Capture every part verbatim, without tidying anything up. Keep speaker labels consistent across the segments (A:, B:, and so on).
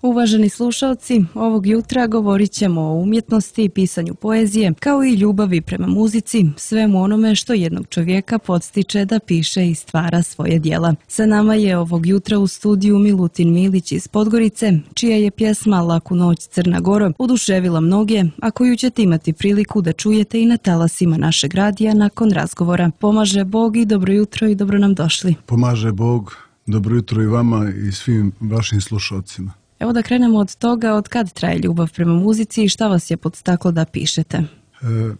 A: Uvaženi slušalci, ovog jutra govorit ćemo o umjetnosti i pisanju poezije, kao i ljubavi prema muzici, svemu onome što jednog čovjeka podstiče da piše i stvara svoje djela. Sa nama je ovog jutra u studiju Milutin Milić iz Podgorice, čija je pjesma Laku noć Crna Goro oduševila mnoge, a koju ćete imati priliku da čujete i na talasima našeg radija nakon razgovora. Pomaže Bog i dobro jutro i dobro nam došli.
B: Pomaže Bog, dobro jutro i vama i svim vašim slušalcima.
A: Evo da krenemo od toga, od kad traje ljubav prema muzici i šta vas je podstaklo da pišete?
B: E,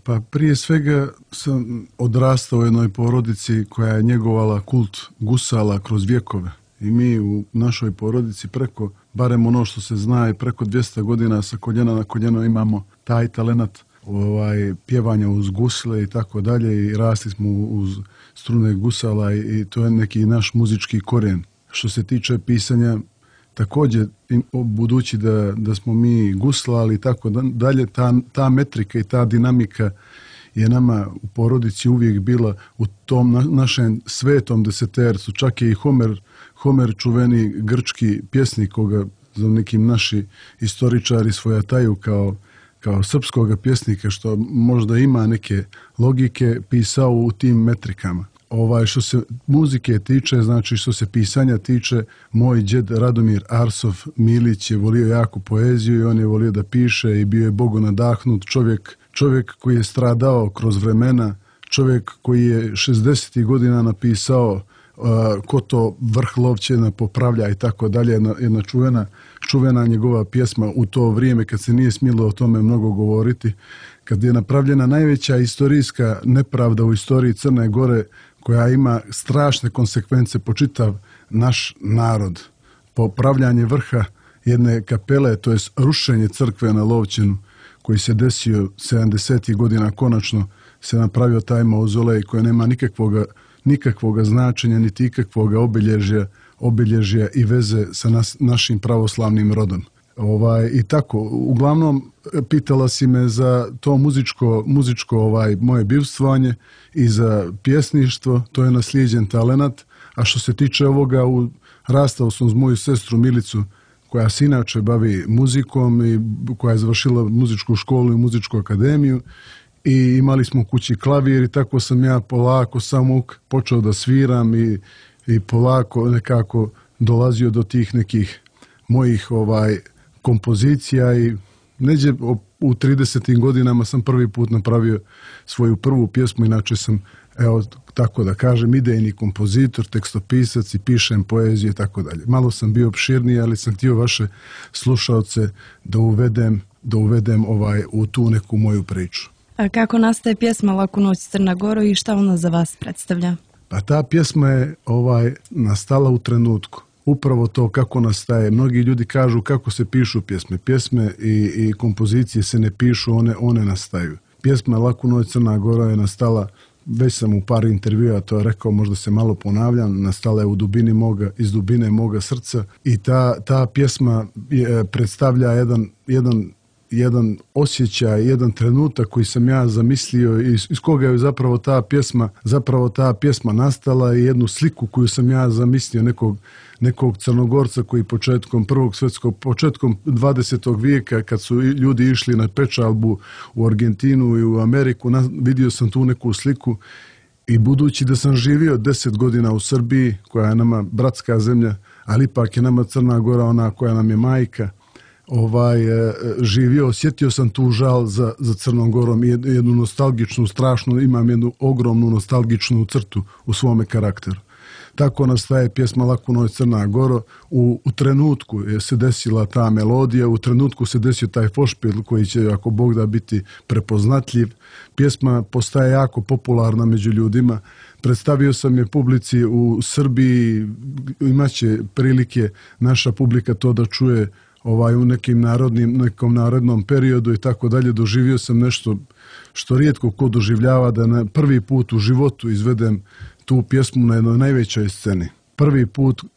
B: pa prije svega sam odrastao u jednoj porodici koja je njegovala kult gusala kroz vjekove. I mi u našoj porodici preko, barem ono što se zna, i preko dvjesto godina sa koljena na koljeno imamo taj talenat ovaj, pjevanja uz gusle i tako dalje i rasli smo uz strune gusala i, i to je neki naš muzički korijen. Što se tiče pisanja, također, budući da, da smo mi guslali i tako dalje, ta, ta metrika i ta dinamika je nama u porodici uvijek bila u tom na, našem svetom desetercu. Čak je i Homer, Homer čuveni grčki pjesnik, koga za nekim naši istoričari svojataju kao, kao srpskog pjesnika, što možda ima neke logike, pisao u tim metrikama. Ovaj, što se muzike tiče, znači što se pisanja tiče, moj djed Radomir Arsov Milić je volio jako poeziju i on je volio da piše i bio je Bogu nadahnut čovjek, čovjek koji je stradao kroz vremena, čovjek koji je šezdesetih godina napisao uh, ko to vrh lovčena popravlja i tako dalje, jedna, jedna čuvena, čuvena njegova pjesma u to vrijeme kad se nije smjelo o tome mnogo govoriti, kad je napravljena najveća istorijska nepravda u istoriji Crne Gore, koja ima strašne konsekvence po čitav naš narod. Popravljanje vrha jedne kapele, to je rušenje crkve na Lovćenu, koji se desio sedamdesetih godina, konačno se napravio taj mauzolej koji nema nikakvoga, nikakvoga značenja, niti ikakvoga obilježja, obilježja i veze sa nas, našim pravoslavnim rodom. Ovaj, i tako, uglavnom pitala si me za to muzičko, muzičko ovaj, moje bivstvovanje i za pjesništvo, to je naslijeđen talenat, a što se tiče ovoga, u, rastao sam uz moju sestru Milicu, koja se inače bavi muzikom i koja je završila muzičku školu i muzičku akademiju i imali smo u kući klavir i tako sam ja polako samuk počeo da sviram i, i polako nekako dolazio do tih nekih mojih ovaj kompozicija i neđe u tridesetim godinama sam prvi put napravio svoju prvu pjesmu, inače sam, evo tako da kažem, idejni kompozitor, tekstopisac i pišem poeziju i tako dalje. Malo sam bio opširniji, ali sam htio vaše slušalce da uvedem, da uvedem ovaj, u tu neku moju priču.
A: A kako nastaje pjesma Laku noć Crna Goro i šta ona za vas predstavlja?
B: Pa ta pjesma je ovaj, nastala u trenutku. Upravo to kako nastaje. Mnogi ljudi kažu kako se pišu pjesme. Pjesme i, i kompozicije se ne pišu, one, one nastaju. Pjesma Laku noć Crna Gora je nastala, već sam u par intervjua to rekao, možda se malo ponavljam, nastala je u dubini moga, iz dubine moga srca i ta, ta pjesma je, predstavlja jedan, jedan, jedan osjećaj, jedan trenutak koji sam ja zamislio i iz, iz koga je zapravo ta pjesma, zapravo ta pjesma nastala i jednu sliku koju sam ja zamislio nekog nekog Crnogorca koji početkom prvog svjetskog, početkom dvadesetog vijeka kad su ljudi išli na pečalbu u Argentinu i u Ameriku, na, vidio sam tu neku sliku i budući da sam živio deset godina u Srbiji, koja je nama bratska zemlja, ali ipak je nama Crna Gora ona koja nam je majka, ovaj, živio, osjetio sam tu žal za, za Crnom Gorom i jednu nostalgičnu, strašnu, imam jednu ogromnu nostalgičnu crtu u svome karakteru. Tako nastaje pjesma Laku noć Crna Goro. U, u trenutku je se desila ta melodija, u trenutku se desio taj fošpil koji će, ako Bog da, biti prepoznatljiv. Pjesma postaje jako popularna među ljudima. Predstavio sam je publici u Srbiji, imaće prilike naša publika to da čuje ovaj, u nekim narodnim, nekom narodnom periodu i tako dalje. Doživio sam nešto što rijetko ko doživljava, da na prvi put u životu izvedem tu pjesmu na jednoj najvećoj sceni. Prvi put uh,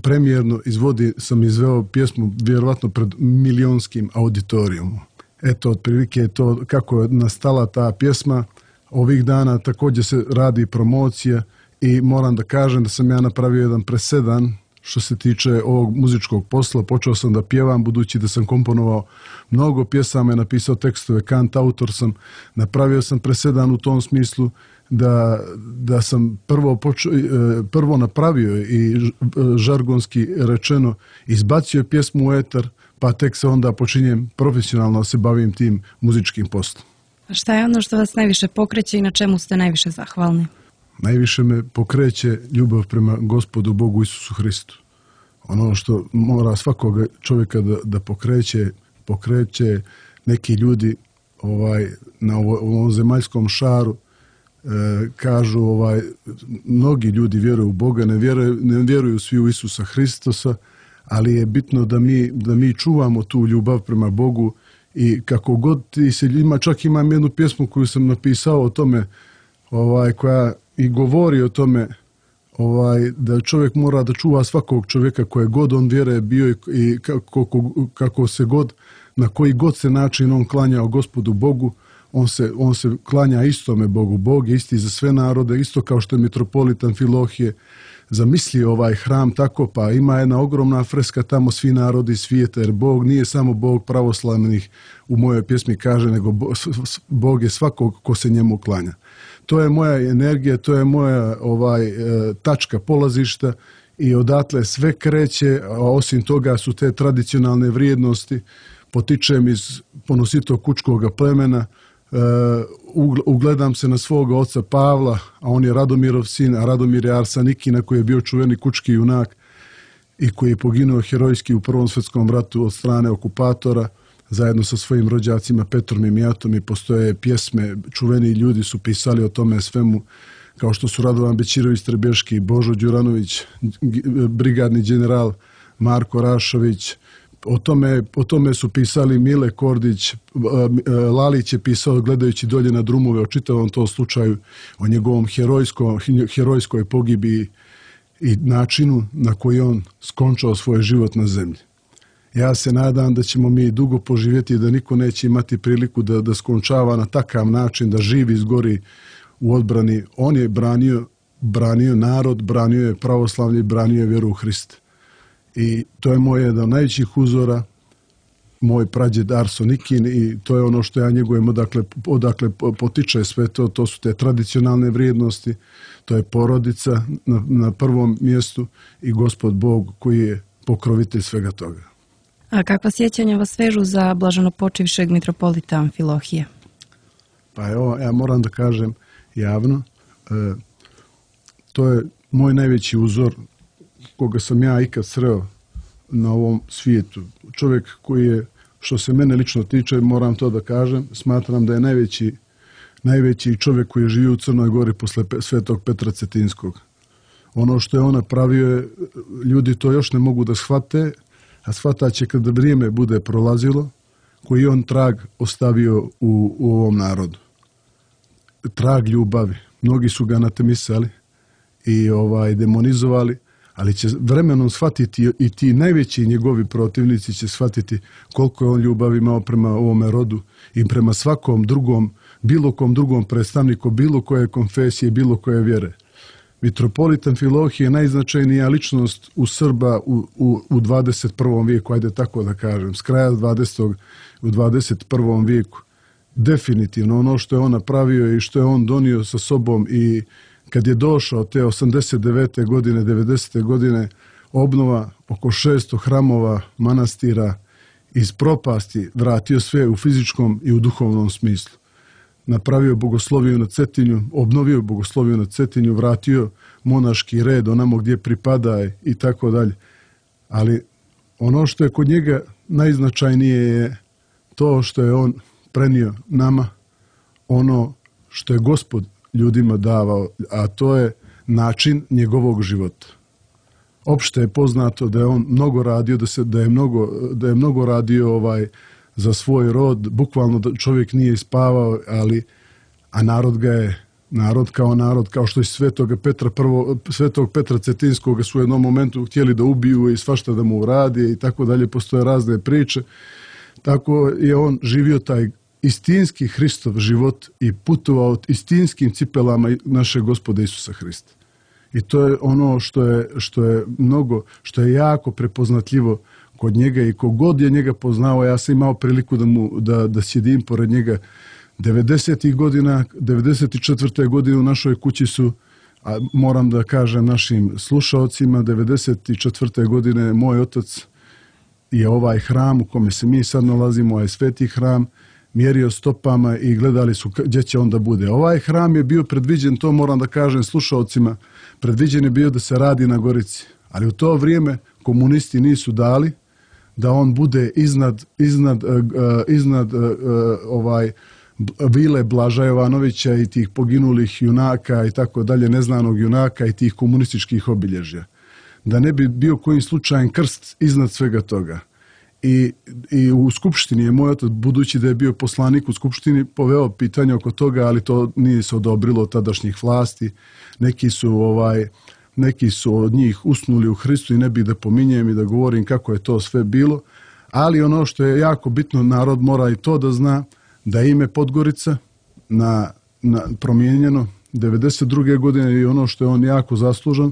B: premijerno izvodi, sam izveo pjesmu vjerovatno pred milionskim auditorijumom. Eto, otprilike je to kako je nastala ta pjesma. Ovih dana također se radi promocija i moram da kažem da sam ja napravio jedan presedan, što se tiče ovog muzičkog posla. Počeo sam da pjevam, budući da sam komponovao mnogo pjesama i napisao tekstove, kant autor sam, napravio sam presedan u tom smislu da, da sam prvo, počeo, prvo napravio i žargonski rečeno izbacio pjesmu u etar, pa tek se onda počinjem profesionalno se bavim tim muzičkim poslom.
A: A šta je ono što vas najviše pokreće i na čemu ste najviše zahvalni?
B: Najviše me pokreće ljubav prema Gospodu Bogu Isusu Hristu. Ono što mora svakog čovjeka da, da pokreće, pokreće neki ljudi ovaj, na ovom zemaljskom šaru, e, kažu, ovaj, mnogi ljudi vjeruju u Boga, ne vjeruju, ne vjeruju svi u Isusa Hristosa, ali je bitno da mi, da mi čuvamo tu ljubav prema Bogu i kako god ti se ima, čak imam jednu pjesmu koju sam napisao o tome, ovaj, koja i govori o tome, ovaj, da čovjek mora da čuva svakog čovjeka koje god on vjere bio i, i kako, kako se god, na koji god se način on klanjao Gospodu Bogu, on se, on se klanja istome Bogu. Bog je isti za sve narode, isto kao što je mitropolit Amfilohije zamislio ovaj hram tako, pa ima jedna ogromna freska tamo svi narodi svijeta, jer Bog nije samo Bog pravoslavnih, u mojoj pjesmi kaže, nego Bog je svakog ko se njemu klanja. To je moja energija, to je moja ovaj, tačka polazišta i odatle sve kreće, a osim toga su te tradicionalne vrijednosti, potičem iz ponositog kučkog plemena, ugledam se na svoga oca Pavla, a on je Radomirov sin, a Radomir je Arsanikina koji je bio čuveni kučki junak i koji je poginuo herojski u Prvom svjetskom ratu od strane okupatora, zajedno sa svojim rođacima Petrom i Mijatom, i postoje pjesme, čuveni ljudi su pisali o tome svemu, kao što su Radovan Bećirović Trebeški, Božo Đuranović, brigadni general Marko Rašović. O tome, o tome su pisali Mile Kordić, Lalić je pisao gledajući dolje na drumove o čitavom tom slučaju, o njegovom herojskom, herojskoj pogibi i načinu na koji on skončao svoj život na zemlji. Ja se nadam da ćemo mi dugo poživjeti i da niko neće imati priliku da, da skončava na takav način, da živi izgori u odbrani. On je branio, branio narod, branio je pravoslavlje, branio je vjeru u Hrista. I to je moj jedan od najvećih uzora, moj prađed Arsonikin, i to je ono što ja njegujem odakle, odakle potiče sve to, to su te tradicionalne vrijednosti, to je porodica na, na prvom mjestu i Gospod Bog koji je pokrovitelj svega toga.
A: A kakva sjećanja vas vežu za blaženopočivšeg mitropolita Amfilohije?
B: Pa evo, ja moram da kažem javno, e, to je moj najveći uzor koga sam ja ikad sreo na ovom svijetu. Čovjek koji je, što se mene lično tiče, moram to da kažem, smatram da je najveći, najveći čovjek koji je živio u Crnoj Gori posle Svetog Petra Cetinskog. Ono što je on napravio, ljudi to još ne mogu da shvate, a shvataće kada vrijeme bude prolazilo, koji on trag ostavio u, u ovom narodu. Trag ljubavi. Mnogi su ga anatemisali i ovaj, demonizovali, ali će vremenom shvatiti i ti najveći njegovi protivnici će shvatiti koliko je on ljubavi imao prema ovome rodu i prema svakom drugom, bilo kom drugom predstavniku, bilo koje konfesije, bilo koje vjere. Mitropolit Amfilohije je najznačajnija ličnost u Srba u, u, u dvadeset prvom vijeku, ajde tako da kažem, s kraja dvadesetog u dvadeset prvom vijeku. Definitivno ono što je on napravio i što je on donio sa sobom, i kad je došao te osamdeset devete godine, devedesete godine, obnova oko šesto hramova, manastira, iz propasti vratio sve u fizičkom i u duhovnom smislu. Napravio bogosloviju na Cetinju, obnovio bogosloviju na Cetinju, vratio monaški red onamo gdje pripada i tako dalje. Ali ono što je kod njega najznačajnije je to što je on prenio nama ono što je Gospod ljudima davao, a to je način njegovog života. Opšte je poznato da je on mnogo radio, da se da je mnogo da je mnogo radio ovaj za svoj rod, bukvalno da čovjek nije spavao, ali a narod ga je, narod kao narod, kao što i Svetoga Petra prvo, Svetog Petra Cetinskog su u jednom momentu htjeli da ubiju i svašta da mu uradi i tako dalje, postoje razne priče. Tako je on živio taj istinski Hristov život i putovao istinskim cipelama našeg Gospoda Isusa Hrista. I to je ono što je, što je mnogo, što je jako prepoznatljivo kod njega i kogod je njega poznao, ja sam imao priliku da, mu, da, da sjedim pored njega devedesetih godina, devedeset četvrte godine u našoj kući su, a moram da kažem našim slušaocima, devedeset četvrte godine moj otac je ovaj hram u kome se mi sad nalazimo, ovaj sveti hram, mjerio stopama i gledali su gdje će onda bude. Ovaj hram je bio predviđen, to moram da kažem slušaocima, predviđen je bio da se radi na Gorici, ali u to vrijeme komunisti nisu dali da on bude iznad, iznad, uh, iznad uh, ovaj vile Blaža Jovanovića i tih poginulih junaka i tako dalje, neznanog junaka i tih komunističkih obilježja. Da ne bi bio kojim slučajem krst iznad svega toga. I, i u Skupštini je moj otac, budući da je bio poslanik u Skupštini, poveo pitanje oko toga, ali to nije se odobrilo od tadašnjih vlasti. Neki su, ovaj, neki su od njih usnuli u Hristu i ne bih da pominjem i da govorim kako je to sve bilo. Ali ono što je jako bitno, narod mora i to da zna, da je ime Podgorica na, na promijenjeno devedeset druge godine i ono što je on jako zaslužan,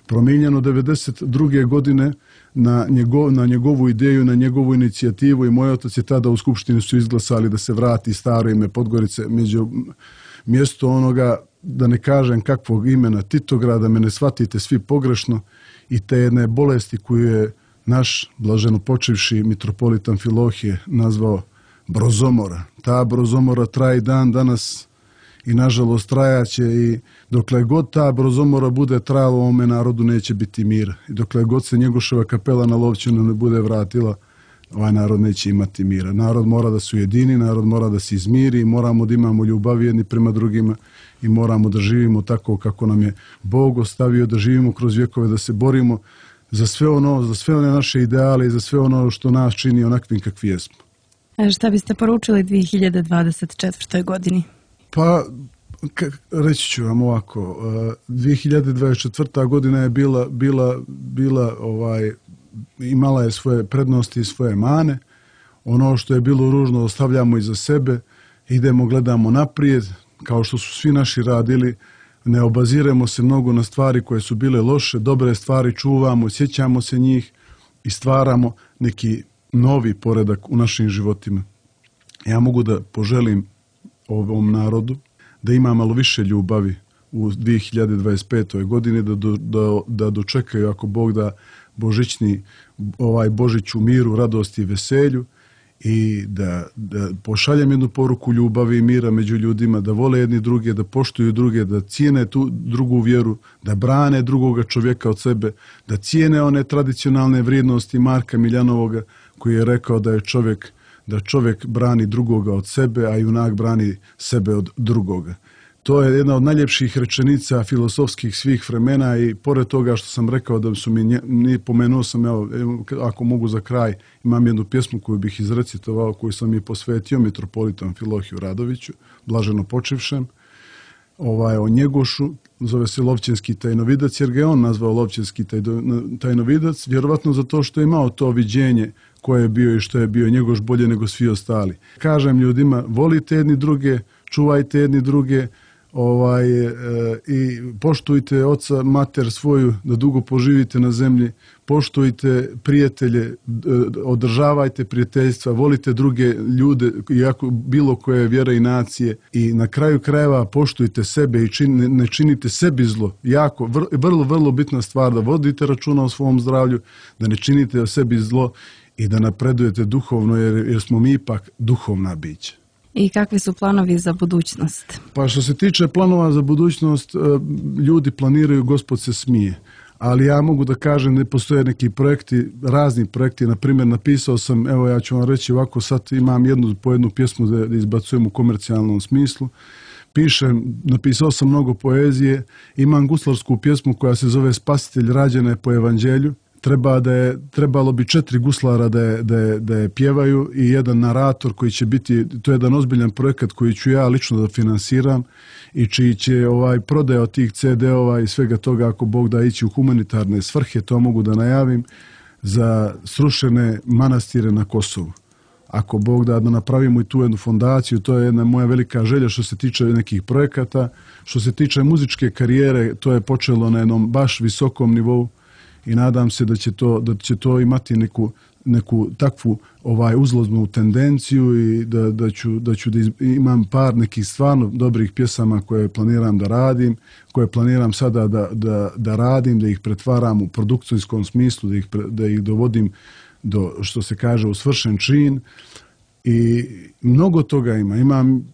B: promijenjeno devedeset druge godine na, njegov, na njegovu ideju, na njegovu inicijativu i moj otac je tada u Skupštini su izglasali da se vrati staro ime Podgorice među mjesto onoga, da ne kažem kakvog imena, Titograda, me ne shvatite svi pogrešno, i te jedne bolesti koju je naš blaženo počivši mitropolit Amfilohije nazvao brozomora. Ta brozomora traje dan danas i nažalost trajaće, i dokle god ta brozomora bude trajala, ovome narodu neće biti mira. I dokle god se Njegoševa kapela na Lovćenu ne bude vratila, ovaj narod neće imati mira. Narod mora da se ujedini, narod mora da se izmiri, moramo da imamo ljubav jedni prema drugima i moramo da živimo tako kako nam je Bog ostavio, da živimo kroz vjekove, da se borimo za sve ono, za sve one naše ideale i za sve ono što nas čini onakvim kakvi jesmo.
A: A šta biste poručili dvije hiljade dvadeset četvrtoj godini?
B: Pa, reći ću vam ovako, dvije hiljade dvadeset četvrta godina je bila, bila, bila ovaj, imala je svoje prednosti i svoje mane. Ono što je bilo ružno ostavljamo iza sebe, idemo, gledamo naprijed, kao što su svi naši radili, ne obaziremo se mnogo na stvari koje su bile loše, dobre stvari čuvamo, sjećamo se njih i stvaramo neki novi poredak u našim životima. Ja mogu da poželim ovom narodu da ima malo više ljubavi u dvije hiljade dvadeset petoj godini, da, da, da dočekaju, ako Bog da, božićni ovaj Božić u miru, radosti i veselju, i da, da pošaljem jednu poruku ljubavi i mira među ljudima, da vole jedni druge, da poštuju druge, da cijene tu drugu vjeru, da brane drugoga čovjeka od sebe, da cijene one tradicionalne vrijednosti Marka Miljanovoga koji je rekao da je čovjek, da čovjek brani drugoga od sebe, a junak brani sebe od drugoga. To je jedna od najljepših rečenica filozofskih svih vremena, i pored toga što sam rekao da su mi, nije pomenuo sam, evo, ako mogu za kraj, imam jednu pjesmu koju bih izrecitovao, koju sam i posvetio mitropolitu Amfilohiju Radoviću, blaženo počivšem, ovaj, o Njegošu, zove se Lovćenski tajnovidac, jer ga je on nazvao Lovćenski tajnovidac, vjerovatno zato što je imao to viđenje koje je bio i što je bio Njegoš bolje nego svi ostali. Kažem ljudima, volite jedni druge, čuvajte jedni druge, ovaj, e, i poštujte oca, mater svoju, da dugo poživite na zemlji, poštujte prijatelje, e, održavajte prijateljstva, volite druge ljude, iako bilo koje vjere i nacije, i na kraju krajeva poštujte sebe i čin, ne činite sebi zlo. Jako, vr, vrlo, vrlo bitna stvar, da vodite računa o svom zdravlju, da ne činite sebi zlo i da napredujete duhovno, jer, jer smo mi ipak duhovna bića.
A: I kakvi su planovi za budućnost?
B: Pa što se tiče planova za budućnost, ljudi planiraju, Gospod se smije. Ali ja mogu da kažem da postoje neki projekti, razni projekti. Na primjer, napisao sam, evo ja ću vam reći ovako, sad imam jednu po jednu pjesmu da izbacujem u komercijalnom smislu. Pišem, napisao sam mnogo poezije, imam guslarsku pjesmu koja se zove Spasitelj, rađena je po evanđelju. Treba da je, trebalo bi četiri guslara da je, da, je, da je pjevaju i jedan narator koji će biti, to je jedan ozbiljan projekat koji ću ja lično da finansiram i čiji će ovaj, prodaja od tih ce de ova i svega toga, ako Bog da, ići u humanitarne svrhe, to mogu da najavim, za srušene manastire na Kosovu. ako Bog da, da napravimo i tu jednu fondaciju, to je jedna moja velika želja što se tiče nekih projekata. Što se tiče muzičke karijere, to je počelo na jednom baš visokom nivou i nadam se da će to, da će to imati neku, neku takvu ovaj uzlaznu tendenciju i da, da, ću, da ću da iz, imam par nekih stvarno dobrih pjesama koje planiram da radim, koje planiram sada da, da, da radim, da ih pretvaram u produkcijskom smislu, da ih, da ih dovodim do, što se kaže, u svršen čin. I mnogo toga ima. Imam,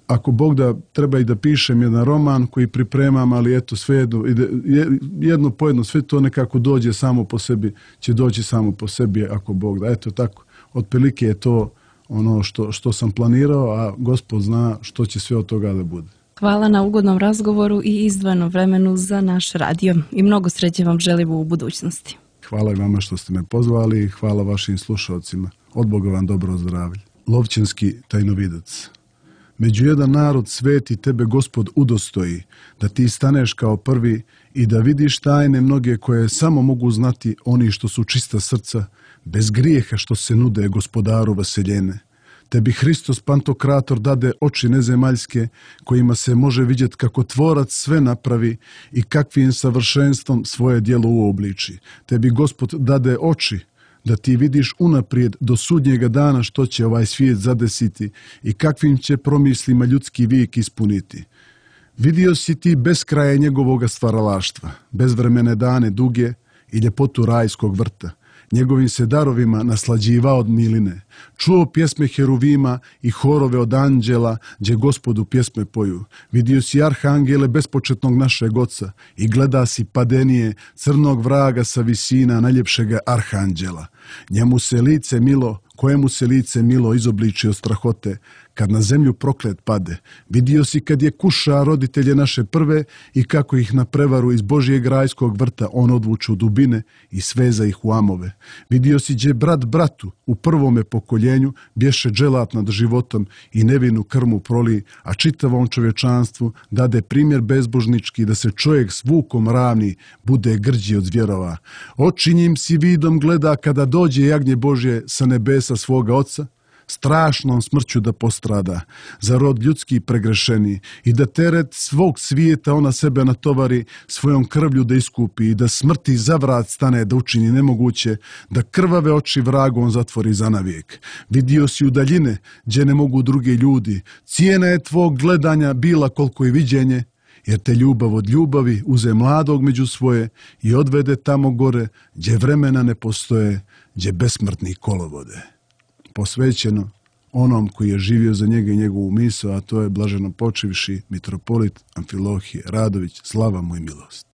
B: ako Bog da, treba i da pišem jedan roman koji pripremam, ali eto sve jedno, jedno po jedno, sve to nekako dođe samo po sebi, će doći samo po sebi ako Bog da. Eto tako, otprilike je to ono što, što sam planirao, a Gospod zna što će sve od toga da bude.
A: Hvala na ugodnom razgovoru i izdvojenom vremenu za naš radio i mnogo sreće vam želim u budućnosti.
B: Hvala i vama što ste me pozvali i hvala vašim slušalcima. Od Boga vam dobro zdravlje. Lovćanski tajnovidac. Među jedan narod sveti tebe Gospod udostoji, da ti staneš kao prvi i da vidiš tajne mnoge koje samo mogu znati oni što su čista srca, bez grijeha što se nude Gospodaru vaseljene. Tebi Hristos Pantokrator dade oči nezemaljske, kojima se može vidjeti kako tvorac sve napravi i kakvim savršenstvom svoje djelo uobliči. Tebi Gospod dade oči, da ti vidiš unaprijed do sudnjega dana što će ovaj svijet zadesiti i kakvim će promislima ljudski vijek ispuniti. Vidio si ti beskraje njegovoga stvaralaštva, bezvremene dane duge i ljepotu rajskog vrta. Njegovim se darovima naslađivao od miline. Čuo pjesme heruvima i horove od anđela, gdje Gospodu pjesme poju. Vidio si arhangele bespočetnog našeg oca i gleda si padenije crnog vraga sa visina najljepšega arhanđela. Njemu se lice milo, kojemu se lice milo izobliči od strahote, kad na zemlju proklet pade. Vidio si kad je kuša roditelje naše prve i kako ih na prevaru iz Božijeg rajskog vrta on odvuče u dubine i sveza ih u amove. Vidio si gdje brat bratu u prvome pokoljenju bješe dželat nad životom i nevinu krmu proli, a čitavom čovječanstvu dade primjer bezbožnički da se čovjek s vukom ravni bude grđi od zvjerova. Oči njim si vidom gleda kada dođe jagnje Božje sa nebesa svoga oca, strašnom smrću da postrada, za rod ljudski pregrešeni i da teret svog svijeta ona sebe natovari, svojom krvlju da iskupi i da smrti za vrat stane da učini nemoguće, da krvave oči vragom zatvori za navijek. Vidio si u daljine, gdje ne mogu drugi ljudi, cijena je tvog gledanja bila koliko i viđenje, jer te ljubav od ljubavi uze mladog među svoje i odvede tamo gore, gdje vremena ne postoje, gdje besmrtni kolovode. Posvećeno onom koji je živio za njega i njegovu misao, a to je blaženo počivši mitropolit Amfilohije Radović, slava mu i milost.